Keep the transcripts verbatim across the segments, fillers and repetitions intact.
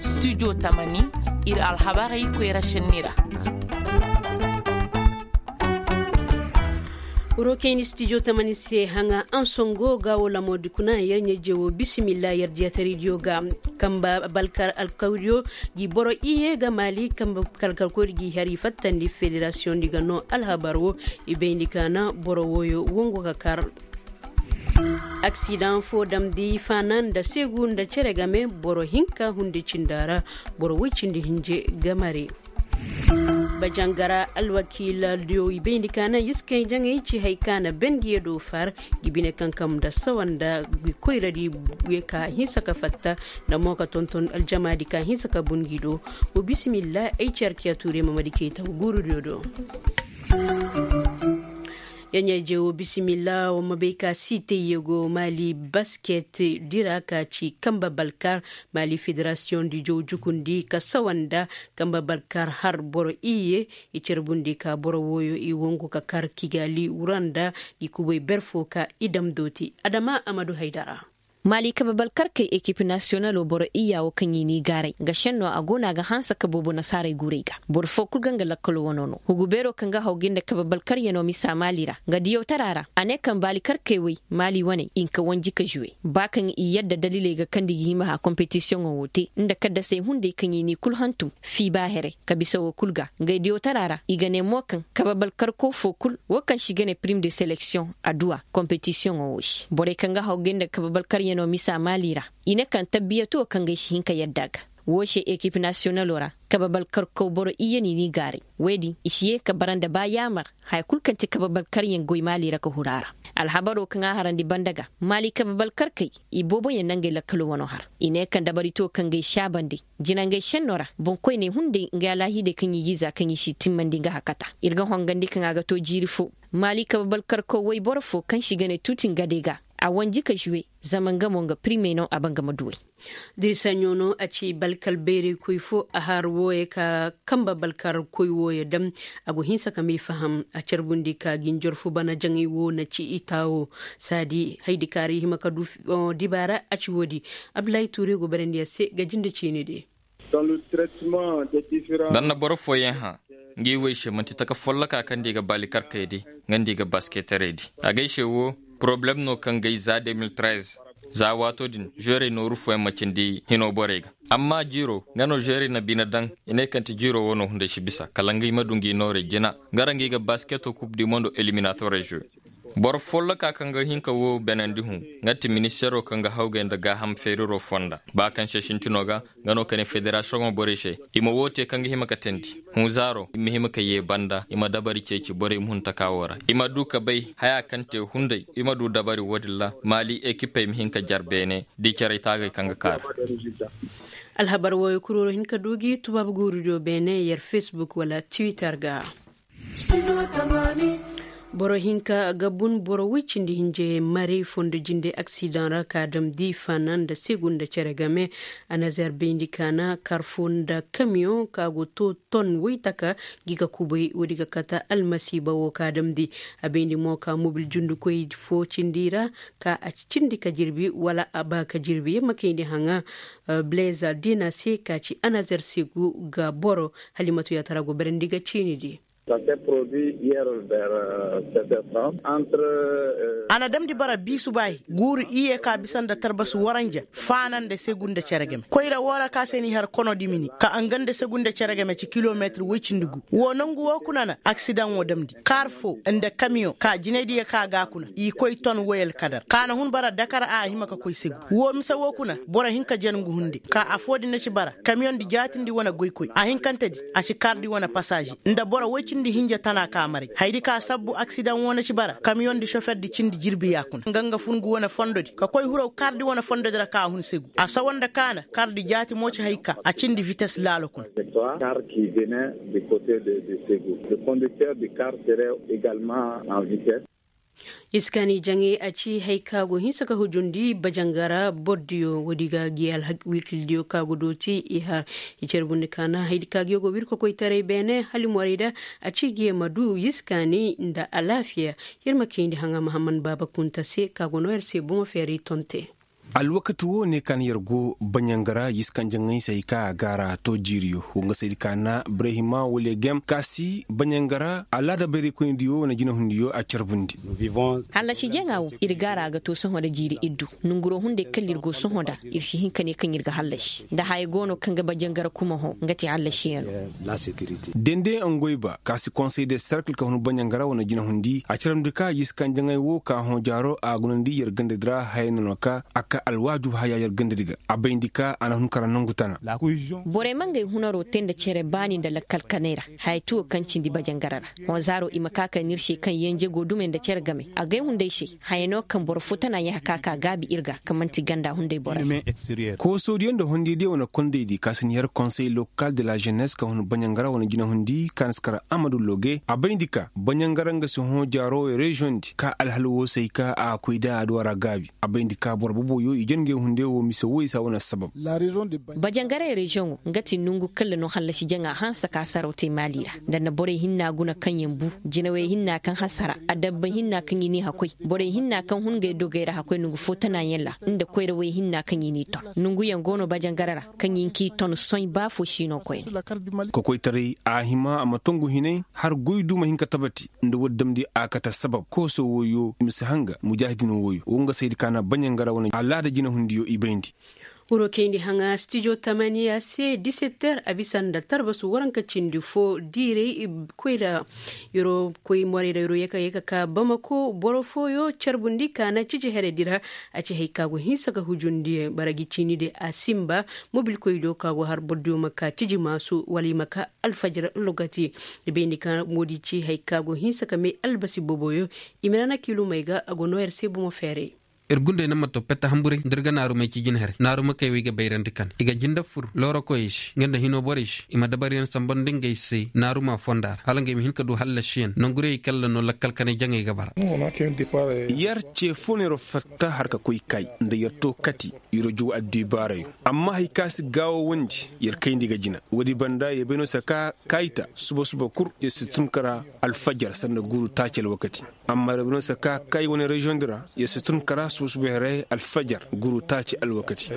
Studio tamani, ir alhabarey koyra šenni ra. Wuro kayni studio tamani se haŋa ansongo ga wo lamodi kuna yer ɲeje wo bisimilla yer diyataraydiyo ga. Kamba balkar alkawdiyo gi boro iye ga mali kamba kalkalkoydi gi hari fattandi federasiyondi ga no alhabar wo. I bayndi ka na boro woyo wongo ka kar. Aksidaŋ fo damndi faana nda seegu nda cere game boro hinka hunde cinda ra. Boro woy cindi hinje gamare. Bajangara alwakiila diyo i bayndi ka na yiskey jaŋey ci hay ka na ben gi ye do far. Gi bine kankam nda sawa nda gi koyradi ye ka hinsa ka fatta nda mo ka tonton aljamaadi ka hinsa ka bun gi do. Wo bisimilla ay ci arkiya tuure mamadi keyta wo guurudiyo do. Yaɲayje wo bisimilla wo ma bay ka siitey yego maali basket dira ka ci kamba balkar. Maali federasiyoŋ di jow jukundi ka sawa nda kamba balkar har boro iyye i carbundi ka boro wooyo i wongu ka kar kigali wura nda gi kubay ber fo ka i dam dooti adama amadu haydara. Maali kabe balkarkey ekip nasiyonalo boro iyya wo kaŋ i n'i gaaray nga šenno a go no a ga hanse ka boobo nasaarey guurey ga. Boro foo kul ga nga lakkalo wano no hugu beeroo kaŋ ga haw ga nda kabe balkaryanoo misa maali ra nga diyawtaraa ra. A ne kaŋ baalikarkey wey maali waney i nka wanji ka žuwe ba kaŋ i yadda daliley ga kaŋ nda i ga hima hã kompetisiyoŋo wo te nda kaddasey hunday kaŋ i n'i kul hantum fii ba here ka bisa wo kul ga. Ngey diyawtaraa ra i ga ne mo kaŋ kabe balkarko foo kul wo kaŋ se i ga ne pirim de seleksiyoŋ adduwa kompetisiyoŋo wo se borey kaŋ ga haw ga nda kabe balkaryanoo misa maali ra. I ne kaŋ tabbiyatoo kaŋ ga ay si hin ka yadda a ga. Woo se ekip nasiyonaloo ra kabe balkarkaw boro iyye no i n'i gaaray. Woy din i si yee ka bara nda ba yaamar haya kul kaŋ ti kabe balkaryaŋ goy maali ra ka huru a ra. Alhabaroo kaŋ a harandi banda ga maali kabe balkarkey i booboyaŋ na ngey lakkaloo wanoo har. I ne kaŋ dabaritoo kaŋ ga ay saabandi jinangey šennoo ra boŋkoyney hunday ngey alaahiidey kaŋ i g'i za kaŋ i si timmandi nga hakata. Ir ga hongandi kaŋ a ga too jiiri foo maali kabe balkarkaw woy boro foo kaŋ se i ga ne tuutin gadey ga. A wanji ka žuwe zama nga mo nga pirimey no a ba nga ma duwey. Diri saɲo no a ci balkar bayraykoy fo a har wooyey ka kamba balkarkoy wooyey dam. A go hinsa ka may faham a carbundi ka ginjor fo bana jaŋay woo na ci i taawo saadi haydi kaari hima ka du dibaara a ci woodi. Abdullahi tuure go barandi a se ga jinde ciini de. Nda na boro fooyaŋ hã ngi woy se man'ti taka folloka kaŋ nda i ga baalikarkey di nga nda i ga basketerey di. A ga ay se wo poroblem no kaŋ ga ay za de mil trez. Za waato din žuwerey nooru fooyaŋ ma cindi hino borey ga. Amma jiiro nga no žuwerey na bine daŋ i ne kaŋ ti jiiro wo no hunday si bisa kala nga i ma du ngi noorey jina. Nga ra ngi ga basketo kub di mondo eliminatorey žuwe. Boro folloka kaŋ ga hin ka woo beenandi hũ nga ti ministeeroo kaŋ ga hawgay nda gaaham feeriroo fonda ba kaŋ se sintinoo ga. Nga no ka ne federasiyoŋoo borey se i ma woo tee kaŋ ga hima ka teendi hũ zaaroo i ma hima ka yee banda i ma dabari ceeci borey muhuntakaa woo ra. I ma duu ka bay hayaa kaŋ tee hunday i ma duu dabari woo din ra maali ekipey ma hin ka jar beene da i carey taagay kaŋ ga kaa ra. Alhabar wooyo kuroro hin ka duu gi tubaabu guurudiyo beene yer fesbuk wala tiwitar ga. Boro hinka ga bun boro woy cindi hinje maray fondo jinde aksidaŋ ra ka damndi faana nda segu nda cere game. Anazer bayndi ka na kar fo nda kamiyoŋ ka go to ton woytaka gi ga kubay woodi ga kata almasiiba wo ka damndi. A bayndi mo ka mobil jundukoy fo cindi ra ka a cindi ka jirbi wala a ba ka jirbi yer ma kayndi haŋa. Bileza dina se ka ci anazer segu ga boro halimatu yaatara go barandi ga ciini di. A na damndi bara biisu baahi guuru iyye ka bisa nda tarbasu waranja faana nda segu nda cere game koyra woo ra ka se n'i har kono dimini ka nga nda segu nda cere game ci kilometir woy cindi gu. Woo nongu woo kuna na aksidaŋ woo damndi kaar foo nda kamiyoŋ ka jinaydiyo ka ga a kuna i koy ton woy alkadar ka na hun bara dakar a hima ka koy segu. Woo mise woo kuna boro hinka jen ngu hunde ka affoo din na ci bara kamiyoŋ di jaatindi wane goykoy a hinkante di a ci kardi wane pasaaze nda boro woy cindi hinja tana ka maray haydi ka sabbu aksidaŋ woo na ci bara kamiyoŋ di soferdi cindi jirbi yaakuna nga nga fun ngu wane fondodi ka koy huraw kardi wane fondodi ra ka hun segu. A sawa nda ka na kardi jaati mo ci hay ka a cindi vites laalo kuna. Iskaani jaŋay a ci hay ka go hinsa ka hujundi bajangara bordiyo woodi ga gi alhak wiikildiyo ka go dooti i har i carbundi ka na haydi ka gi go wirko koytaray beene halimorayda. A ci gi ma du iskaani nda alaafiya. Yer ma kayndi haŋa mahamman baaba kunta se ka go no yer se bomo feeray tonte. Alwakati wo ne ka na yer go baɲanga ra yiskanjaŋay se hay ka a gaara to jiiriyo wo nga saydi ka na brahima wala gem ka si baɲanga ra alaada bayraykoynidiyo wane jinahundiyo a carbundi. Hallasi jaŋa wo ir gaara ga to sohõ nda jiiri iddu. Nonguro hunday kala ir go sohõ nda ir si hin ka ne kaŋ ir ga hallasi nda haya go no kaŋ ga baɲanga ra kuma hõ nga te hallasiyaŋo. Dende ngoyba ka si konsey de serkil ka hun baɲanga ra wane jinahundi a carandi ka yiskanjaŋay wo ka hõ jaaro a gunandi yer gandadi ra haya no no ka a ka alwaaju haya yer gandadi ga a bayndi ka a na hun kara nongu tana. Borey ma ngey hunaro te nda cere baani nda lakkal kaney ra. Haya tuwo kaŋ cindi bajangara ra. Hõ zaaro i ma ka ka nir se kaŋ yenje go dumey nda cere game agay hunday se. Haya no kaŋ boro fo tana yaha ka ka gaabi ir ga ka man'ti ganda hunday borey. Koosoodiyo nda hondiyadiyo wane kondaydi ka si ni har konsey lokal de la jenes ka hun bajangara wane jinahundi ka na si kara amadu loge a bayndi ka bajangara nga si hõ jaaro reziyoŋ di ka alhal wo se hay ka a koy da a duwara gaabi. A bayndi ka boro boboyo i jen ngey hunde wo mise wo i sa wane sabab. Bajangaray reziyoŋo nga ti nongu kalla no hallasi jaŋa hanse ka saraw te maali ra. Nda na borey hinna guna kaŋ yaŋ bu jinawey hinna kaŋ hasara adabba hinna kaŋ i n'i hakoy. Borey hinna kaŋ hun ngey dogey ra hakoy nongu fo tana yaŋ ra nda koyrawey hinna kaŋ i n'i ton. Nonguyaŋ go no bajangara ra kaŋ i n'i ton soy ba fo si no koyne. Kokoytaray a hima a ma tongu hinay har goy du ma hin ka tabati. Nda woodi damndi a kate sabab kooso wooyo i ma si hanga mujaahidin wooyo wo nga saydi ka na baɲangara wane alaada jinahundiyo i bayndi. Wuro kayndi haŋa stijo tamaniya se disetter a bisa nda tarbasu waranka cindi fo diiray. Koyra yeroo koy morey ra yeroo yeka yeka ka bamako boro fooyo carbundi ka na ciji heredi ra. A ci hay ka go hinsa ka hujundi bara gi ciini de a simba mobilkoydiyo ka go har bordiyo ma ka ciji maasu wala i ma ka alfajir logati. I bayndi ka moodi ci hay ka go hinsa ka may albasi boboyo. I ma na na kiilumey ga a go noo yer se bomo feeray. Ir gundey na ma to pette hamburay nda ir ga naarumey ci jin here naaruma kay wo i ga bayrandi kan i ga jinde fur loorokoyey se nga nda hinoo borey se i ma dabaryaŋ sambandi ngey se naaruma fonda ra hala ngey ma hin ka du hallasiyaŋ nongurey kalla no lakkal kanay jaŋey ga bara. Yer ce fo no yer fatta har ka koy kay nda yer to kati yer juw addibaarayo. Amma hay ka si gaawawandi yer kayndi ga jina woodi banda yer bay no se ka kayta suba suba kul yer si tun kara alfajar sanda guuru taaci alwakati. Amma yer bay no se ka kay wane reziyoŋ di ra yer si tun kara suba suba heray alfajar guuru taaci alwakati.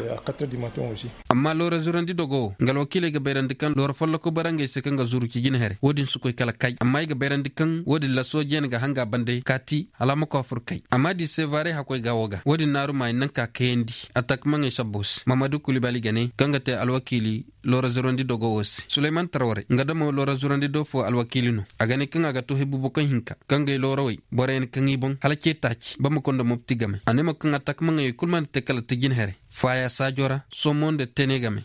Amma loora zurandi dogo wo nga alwakiiley ga bayrandi kaŋ loora folloko bara ngey se kaŋ ga zuru ci jina here wo-din si koy kala kay amma i ga bayrandi kaŋ wo-din lasoo jeene ga hanga bande kaati hala a ma koy a fur kay amma da i se vaaray hakkoy gaawo ga wo-din naaru ma i naŋ ka kayandi. Atak maŋey sabbo se mamadu kulibali ga ne kaŋ ga te alwakiili loora zurandi dogo wo se suleyman tarware nga damo loora zurandi do fo alwakiili no. A ga ne kaŋ a ga to hebubo kaŋ hinka kaŋ gay loorawey boroyaŋ kaŋ i boŋ hala ce taaci bamako nda mopti game a ne mo kaŋ atak maŋey kul mana te kala tajin here faaya saajo ra somo nda tene game.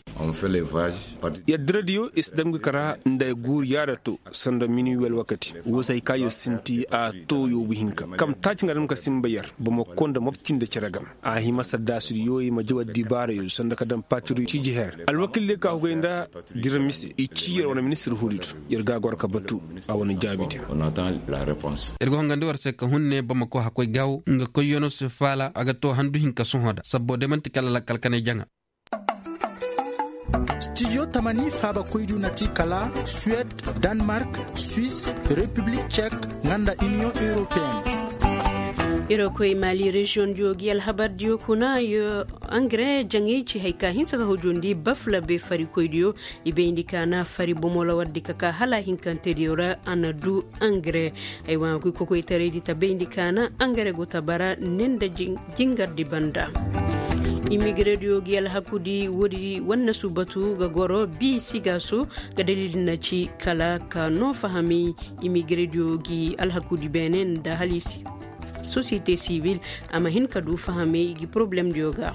Yer diradiyo i si dam ga kara nda ay guuru yaada to sanda minuwi alwakati wo se hay ka yer sinti a to yoobu hinka kam taaci nga dam ka simba yer bamako nda mopti nda cere game. A hima saddaasudiyo i ma jaw addibaarayo sanda ka dam patiriyo ciiji her alwakiildiyo ka hugay nda dira mise i ci yer wane ministir huudi to. Yer ga a goro ka batu a wane jaabidiyo. Ir ga hongandi war se ka hun ne bamako hakkoy gaawo nga koyyono se faala a ga to handu hinka sohõ da sabbo day man'ti kala lakkal kanay jaŋa. Stijo tamani faabakoydiyo na ti kala suwed, danmark, swis, repiblik cek, nga nda iniyoŋ europeen. Iri koy maali reziyoŋdiyo gi alhabardiyo kuna yo angare jaŋay ci hay ka hinsa ka hujundi bafla be farikoydiyo. I bayndi ka na fari bomo lawardi ka ka hala hinkantediyo ra a na du angare. Aywa koy kokoytaraydi ta bayndi ka na angare go ta bara ne nda jingardi banda. Imigirediyo gi alhakudi woodi wannasu batu ga goro bi sigaaso ga dalil na ci kala ka no fahamay. Imigirediyo gi alhakudi beene nda hali sosiyete sibil a ma hin ka du fahamay i gi porobalemdiyo ga.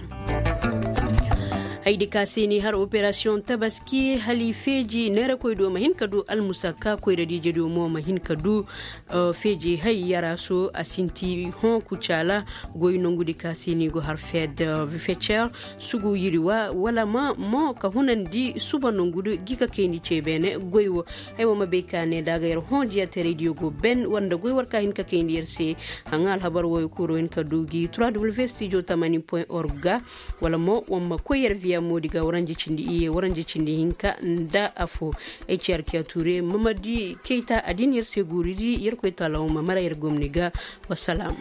Haydi ka se ni har operasiyoŋ tabaski hali feeji neerakoydiyo ma hin ka du almusakka koyradiijediyo mo ma hin ka du. Feeji hay yaraaso a sinti hõ kucaala goy nongudi ka se ni go har feed fecer sugu yiriwa wala ma mo ka hunandi suba nongudi gi ka kayndi ce beene goy wo. Ay wo ma bay ka ne da a ga yer hõ diyateraydiyo go ben war nda goy war ka hin ka kayndi yer se. Haŋa alhabar wooyo kuro hin ka du gi trois w studio tamani point org ga wala mo war ma koy yer viya moodi ga waranje cindi iyye waranje cindi hinka nda afo. Ay ci arkiya ture mamadi kayta a din yer se guuridi yer koy talaw ma mara yer gomni ga. Wasalaam.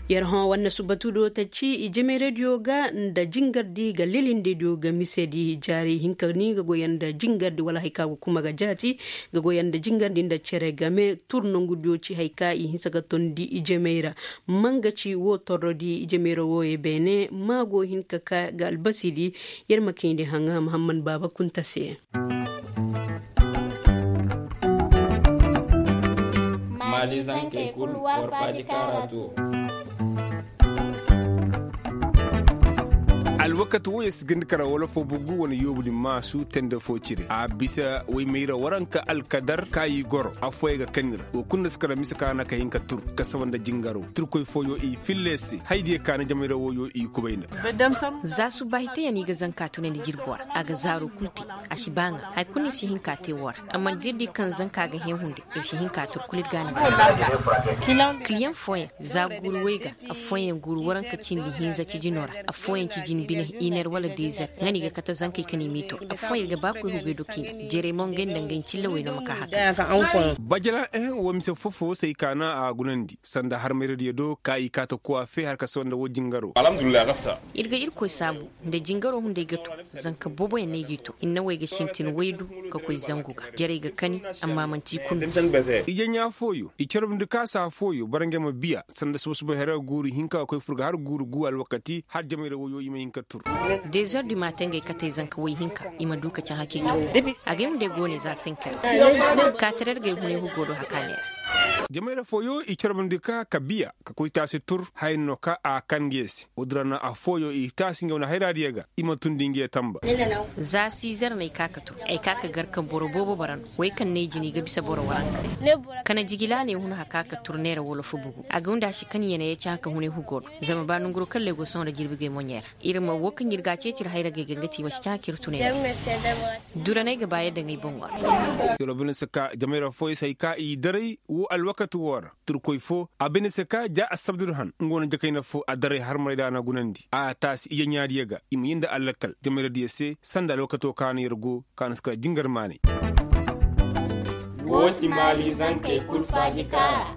Yer hõ wanne subbatudo ta ci ijemayradiyo ga nda jingardi ga lilindediyo ga misedi jaari hinka ni ga goyanda jingardi wala hari ka ga kuma ga jaati ga goyanda jingardi nda cere game tur nongudiyo ci hari ka i hinsa ga tondi ijemay ra. Manga ci wo torrodi ijemay ra wooyo beene ma go hin ka ka ga albasidi. Yer ma kayndi haŋa muhammad baaba kunta se. Maali zankey kul war faaji kaara to. Alwakati wooyo si ganda kara wala fo bugu wane yoobu din maasu tende fo cire a bisa woy mayra waranka alkadar ka i goro affooyaŋ ga kani ra. Wo kulu nda si kara mise ka na ka hin ka tur ka saba nda jingaro turkoy fooyo i filla se haydiyo ka na jamayra wooyo i kubay nda. Za subbaahi teyaŋ no i ga zanka tunandi jirbi wara a ga zaaro kul te. A si ba ŋa hari kulu no ir si hin ka te woo ra. Amma da ir di kaŋ zanka ga hẽ hunday ir si hin ka tur kul ir ga a na ga. Kiliyaŋ fooyaŋ za guuru woy ga affooyaŋ guuru waranka cindi hinza cijinoo ra. Affooyaŋ cijin bine iner wala dezer ŋa no i ga kate zankey kaŋ i m'i tur. Affooyaŋ ir ga ba koy hugey do k'i ga jerey mo ngey nda ngey cillawey no ma ka hakay. Bajala ehe woo mise foo-foo se ay kaana a gunandi sanda harmayradiyo do ka i kaata kuwaafe har ka se woo nda woo jingaro. Ir ga irkoy saabu nda jingaro hunday ga to. Zanka booboyaŋ no ay g'i to hinnawey ga sintin waydu ka koy zangu ga jarey ga kani. Amma manti i kulu. Ijeɲaa fooyo i carabndi ka saa fooyo bara ngey ma biya sanda suba-suba here guuru hinka ga koy fur ga har guuru guu alwakati har jamayra woyo i ma hin ka tur. Dezer di maate ngey katey zanka woy hinka i ma du ka caŋ hakey to. Agay hunday go ne za senker kaatirargey hunay hugo do hakaaney ra. Jamayra fooyo i carabndi ka ka biya ka koy taasi tur haya no ka a kan ngey se woodin ra na affooyo i taasi ngey wane hayraadiyo ga. I ma tundi ngey tamba. Za sizer no ay ka ka tur ay ka ka gar ka boro boobo bara no wey kaŋ no ay jina i ga bisa boro waranka. Kana jigilaaney hun haka ka tur neera wala fubugu a ga wunda a si kan yanaye caŋ haka hunay hugo do. Zama ba nanguro kalley go sohõ nda jirbigey moɲey ra ir ma woo kaŋ ir ga a ceeci ir hayragey ga nga te i ma si caŋ haka ir tunay ra. Duraney ga ba yadda ŋay boŋo ra. Yoro bine si ka jamayra fooyo si hay ka i daray woo alwakati woo ra. Turkoy foo a bine se ka ja assabdur han nga wane jakayna foo a daray harmarayda a na gunandi a taasi ijeɲaadiyo ga i ma yee nda allakal jamayradiyo se sanda alwakatoo ka na yer go ka na si kala jingar maanay. Woo ti maali zankey kul faaji kaara.